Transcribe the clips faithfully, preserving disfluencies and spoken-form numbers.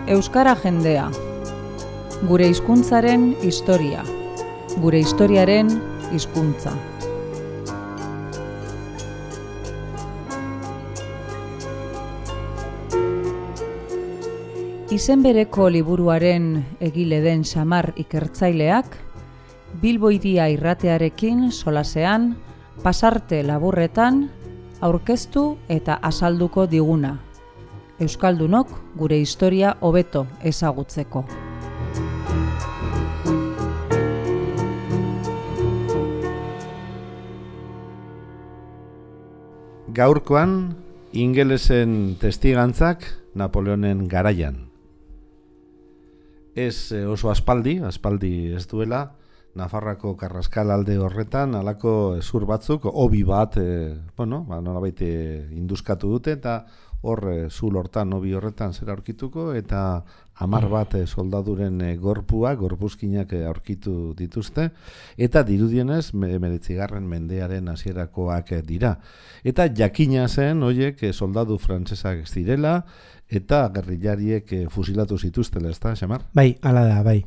Euskara jendea. Gure hizkuntzaren historia. Gure historiaren hizkuntza. Izen bereko liburuaren egile den Xamar ikertzaileak, Bilbo Hiria irratearekin solasean, pasarte laburretan, aurkeztu eta azalduko diguna. Euskaldunok gure historia hobeto ezagutzeko. Gaurkoan, ingelesen testigantzak Napoleonen garaian. Ez oso aspaldi, aspaldi ez duela, Nafarroako Karraskal alde horretan, halako zur batzuk, hobi bat, e, bueno, ba, nolabait induskatu dute, eta hor e, zul hortan, hobi horretan zera aurkituko, eta hamar bat e, soldaduren e, gorpua, gorpuzkinak e, aurkitu dituzte, eta dirudienez, hemeretzigarren mendearen hasierakoak e, dira. Eta jakina zen, hoiek, e, soldadu frantsesak zirela, eta gerrillariek e, fusilatu zituztela, ez da, Xamar? Bai, hala da, bai.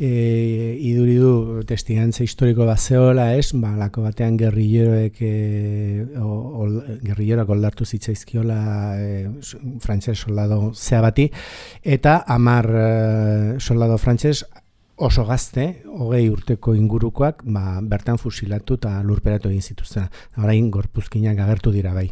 E, iduri du testigantza historiko bat zehola, ez? Ba, lako batean gerrilleroek e, gerrilleroak oldartu zitzaizkiola e, frantses soldado zea bati, eta hamar e, soldado frantses oso gazte, hogei urteko ingurukoak, ba, bertan fusilatu eta lurperatu egin zituzten. Orain gorpuzkinak agertu dira, bai.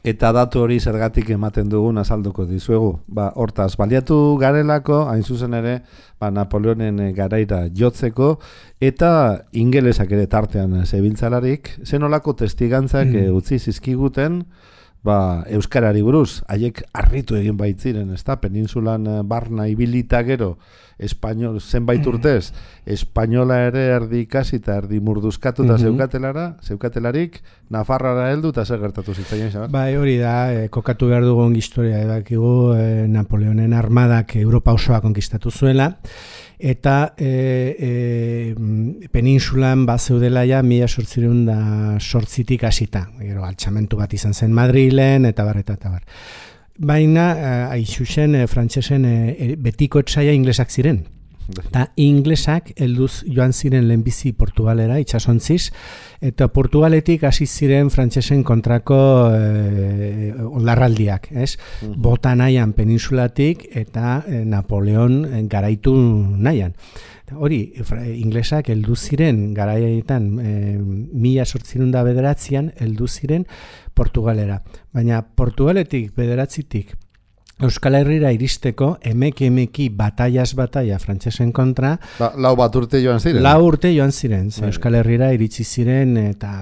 Eta datu hori zergatik ematen dugun azalduko dizuegu. Ba, hortaz, baliatu garelako, hain zuzen ere, ba, Napoleonen garaira jotzeko, eta ingelesak ere tartean zebiltzalarik, zenolako testigantzak mm. utzi zizkiguten, ba, euskarari buruz, haiek harritu egin baitziren, ezta? Peninsulan barna ibilita gero, espainol, zenbait urtez, espainola ere erdi ikasi eta erdi murduzkatu eta mm-hmm. zeukatelara, zeukatelarik, Nafarroara heldu eta zer gertatu zitzaien, Xamar? Bai, hori da, e, kokatu behar dugun historia, ebakigu, e, Napoleonen armadak Europa osoa konkistatu zuela, eta e, e, peninsulan bat zeudela ja mila sortzireun da sortzitik hasita, gero altxamentu bat izan zen Madrilen, eta bar, eta, eta bar. Baina, haixusen, e, frantsesen e, betiko etsaia inglesak ziren. Eta inglesak helduz joan ziren lehenbizi Portugalera, itsasontziz, eta Portugaletik hasi ziren frantsesen kontrako e, oldarraldiak, ez? Uh-huh. Bota nahian peninsulatik eta e, Napoleon garaitu nahian. Hori, inglesak heldu ziren garaietan e, mila zortziehun eta bederatzian heldu ziren Portugalera. Baina Portugaletik bederatzitik Euskal Herrira iristeko emeki emeki bataiaz bataia frantsesen kontra. Ba, lau bat urte joan ziren? Lau urte joan ziren. Bai. Euskal Herrira iritsi ziren eta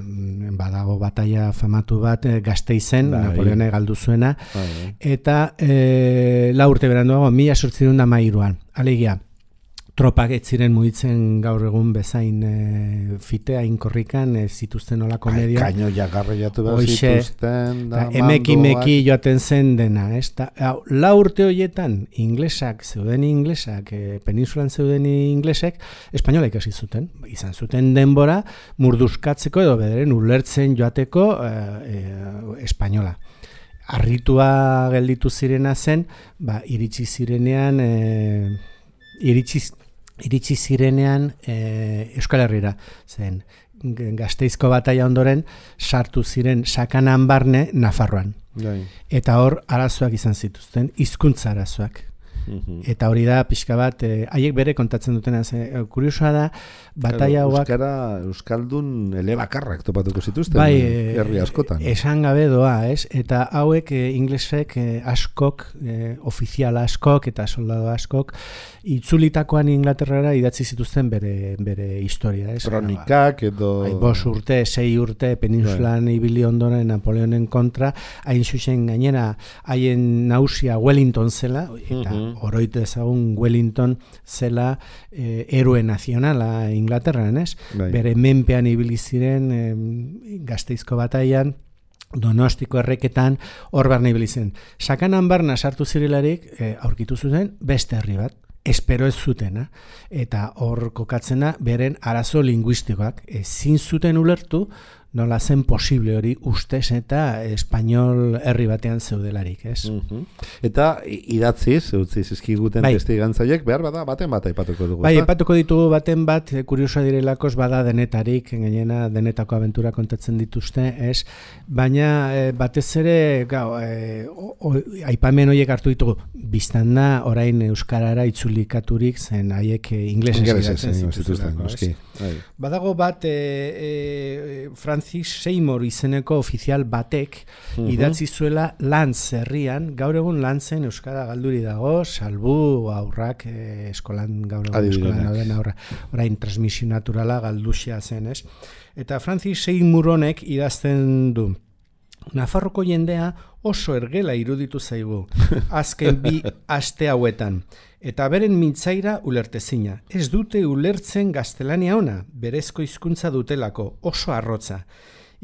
badago bataia famatu bat Gasteizen, bai. Napoleone galdu zuena. Bai. Eta e, lau urte beranduago, mila zortziehun eta hamairuan. Alegia, tropak ez ziren mugitzen gaur egun bezain e, fitea inkorrikan e, zituzten olako media. Kaino jagarriatu behar zituzten. Da, emeki meki joaten zen dena. Ez? Da, lau urte horietan inglesak, zeuden inglesak, e, peninsulan zeuden inglesek, espainolek hasi zuten. Izan zuten denbora murduzkatzeko edo bederen ulertzen joateko e, e, espainola. Harritua gelditu zirena zen, ba, iritsi zirenean... E, iritsi iritsi zirenean e, Euskal Herrira zen Gasteizko bataia ondoren sartu ziren sakanan barne Nafarroan. Gai. Eta hor arazoak izan zituzten, hizkuntza arazoak. Mm-hmm. Eta hori da pixka bat, eh, haiek bere kontatzen dutena, eh, kuriosoa da, bataia hauak... Euskara, Euskaldun elebakarrak topatuko zituzten, bai, herri askotan. Esan gabe doa, ez? Eta hauek eh, inglesek eh, askok, eh, ofizial askok eta soldado askok, itzulitakoan Inglaterrara idatzi zituzten bere, bere historia, ez? Kronikak edo... Bai, bos urte, sei urte, peninsulan bai. Ibili ondoren Napoleonen kontra, hain zuzen gainera, haien nausia Wellington zela, eta mm-hmm. oroitu ezagun Wellington zela eh, héroe nazionala Inglaterran, ez? Bai. Bere menpean ibili ziren eh, Gasteizko bataian, Donostiko erreketan, hor barna ibili zen. Sakanan barna sartu zirelarik, eh, aurkitu zuten beste herri bat, espero ez zutena, eta hor kokatzena beren arazo linguistikoak ezin zuten ulertu nola zen posible hori ustez eta espainol herri batean zeudelarik, ez? Uh-huh. Eta idatziz, utzi zizkiguten bai. Testigantzaiek, behar bada baten bat aipatuko dugu. Bai, aipatuko ditugu baten bat, kuriosoa direlakos bada denetarik, gainera denetako abentura kontatzen dituzte, ez? Baina e, batez ere, gau, e, o, o, aipamen horiek hartu ditugu, biztan da orain euskarara itzulikaturik zen haiek inglesez idatzen zituzten. Badago bat, e, e, Francis Seymour izeneko ofizial batek uh-huh. idatzi zuela Lantz herrian, gaur egun Lantzen euskara galduri dago, salbu aurrak e, eskolan gaur egun eskolan dauden aurra, orain transmisio naturala galduxia zen, ez? Eta Francis Seymour honek idazten du. Nafarroko jendea oso ergela iruditu zaigu, azken bi aste hauetan, eta beren mintzaira ulertezina. Ez dute ulertzen gaztelania ona, berezko hizkuntza dutelako, oso arrotza.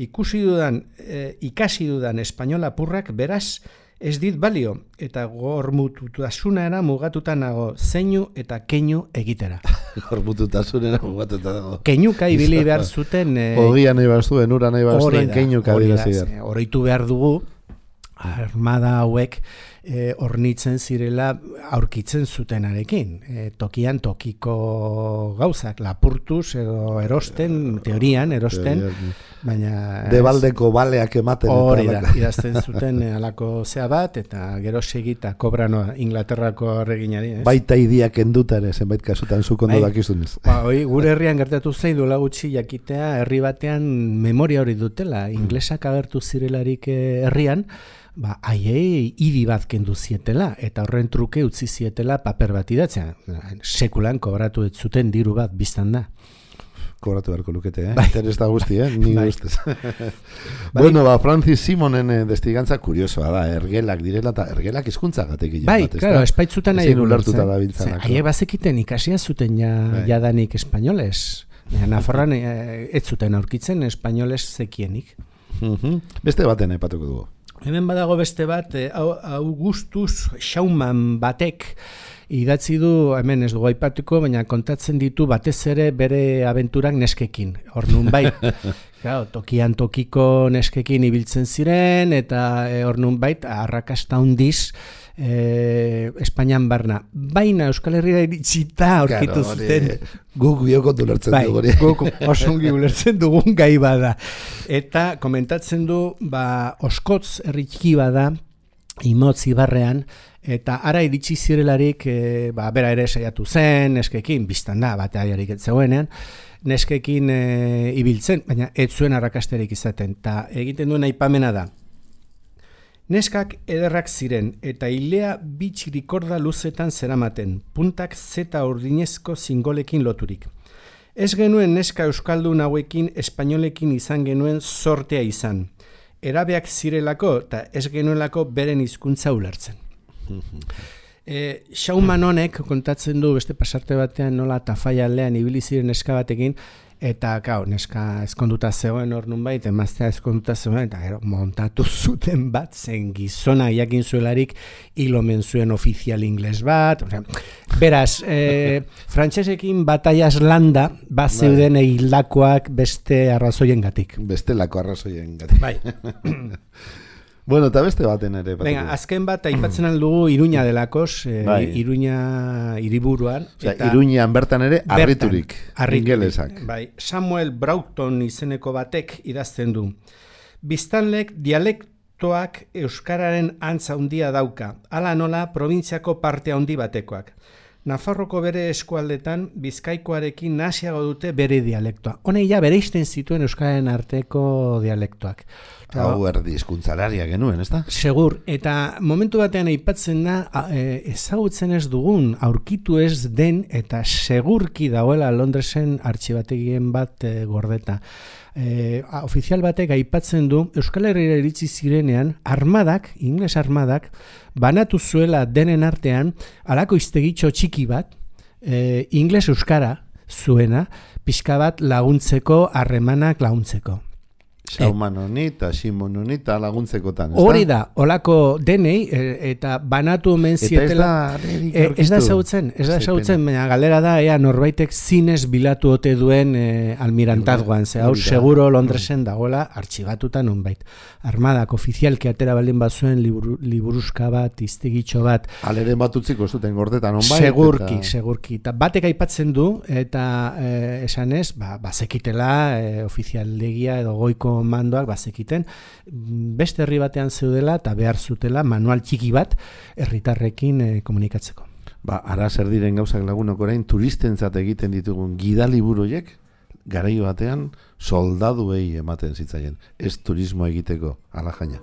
Ikusi dudan, e, ikasi dudan espainola purrak beraz ez dit balio, eta gormututasunera mugatuta nago zeinu eta keinu egitera. Gormututasunera mugatuta dago. Keinuka ibili behar zuten... E, Ogia nahi behar zuen, ura nahi behar zuen, keinuka dira. Horreitu behar dugu, armada hauek e, ornitzen zirela aurkitzen zutenarekin. E, tokian tokiko gauzak, lapurtuz edo erosten, teorian erosten, baina... Debaldeko baleak ematen. Hori da, idazten zuten alako zea bat, eta gero segita kobranoa Inglaterrako reginari. Baita idiak enduta ere, zenbait kasutan zukondo dakizunez. Ba, oi, gure herrian gertatu zaidu lagutxi jakitea, herri batean memoria hori dutela, inglesak agertu zirelarik herrian, ba, haiei idi bat kendu zietela, eta horren truke utzi zietela paper bat idatzea. Sekulan kobratu ez zuten diru bat biztan da. Kobratu beharko lukete, eh? Bai. Interes da guzti, eh? Ni bai. Ustez. Bueno, ba, Francis Simonen eh, destigantza kuriosoa da, ergelak direla, eta ergelak hizkuntza gatek bai, bat, claro, espaitzutan nahi ulertuta da biltzanako. Haiek bazekiten ikasia zuten ja, bai. Jadanik espainoles. Nafarroan eh, ez zuten aurkitzen espainoles zekienik. Uh-huh. Beste baten aipatuko dugu. Hemen badago beste bat, Augustus Schaumann batek idatzi du, hemen ez dugu aipatuko, baina kontatzen ditu batez ere bere abenturak neskekin. Hor nun bai, claro, tokian tokiko neskekin ibiltzen ziren, eta hor nun bait, arrakasta hundiz, eh, Espainian barna. Baina Euskal Herria iritsita aurkitu claro, zuten. Guk biokot ulertzen bai, dugu. Guk osongi ulertzen dugun gai bada. Eta komentatzen du, ba, Oskotz herriki bada, Imotz Ibarrean, eta ara iritsi zirelarik, e, ba, bera ere saiatu zen, neskekin, biztan da, batearik ez zegoenean, neskekin e, ibiltzen, baina ez zuen arrakasterik izaten, eta egiten duen aipamena da. Neskak ederrak ziren, eta ilea bitxirikorda luzetan zeramaten, puntak zeta urdinezko zingolekin loturik. Ez genuen neska euskaldun hauekin espainolekin izan genuen sortea izan. Erabeak zirelako eta ez genuelako beren hizkuntza ulertzen. E, Schaumann honek kontatzen du beste pasarte batean nola Tafalla aldean ibili ziren neska batekin, eta gau, neska ezkonduta zegoen hor nunbait, emaztea ezkonduta zegoen, eta gero montatu zuten bat, zen gizona jakin zuelarik hilomen zuen ofizial ingles bat, o sea, beraz, e, frantsesekin bataiaz landa, bat zeuden hildakoak beste arrazoiengatik. Bestelako arrazoiengatik. Bai. Bueno, eta beste baten ere. Venga, azken bat aipatzen aldugu Iruña delakos, eh, bai. Iruña hiriburuan. O sea, Iruñan bertan ere arriturik, ingelesak. Bai, Samuel Broughton izeneko batek idazten du. Biztanlek dialektoak euskararen antza handia dauka, hala nola probintziako parte handi batekoak. Nafarroko bere eskualdetan Bizkaikoarekin nasiago dute bere dialektoa. Honei ja bereizten zituen euskararen arteko dialektoak. Hau erdi hizkuntzalaria genuen, ezta? Segur, eta momentu batean aipatzen da ezagutzen ez dugun, aurkitu ez den eta segurki dagoela Londresen artxibategien bat e, gordeta. E, ofizial batek aipatzen du Euskal Herrira iritsi zirenean armadak, ingles armadak, banatu zuela denen artean halako iztegitxo txiki bat, e, ingles euskara zuena, pixka bat laguntzeko, harremanak laguntzeko. Sauman honi eta Simon honi eta laguntzekotan. Hori da, olako denei, e, eta banatu omen zietela. Eta ez da, e, ez da zautzen, ez da zautzen, baina galera da, ea norbaitek zinez bilatu ote duen e, almirantazgoan, ze hau seguro Londresen dagoela artxibatuta nonbait. Armadak ofizialki atera baldin bazuen liburu, liburuzka bat, iztegitxo bat. Aleren bat utziko zuten gordetan nonbait. Segurki, eta... segurki. Eta batek aipatzen du, eta e, esanez, ba, bazekitela e, ofizialdegia edo goiko mandoak bazekiten, beste herri batean zeudela eta behar zutela manual txiki bat herritarrekin e, komunikatzeko. Ba, ara zer diren gauzak lagunok orain turistentzat egiten ditugun gidaliburuiek garaio batean soldaduei ematen zitzaien, ez turismo egiteko, ala jaina.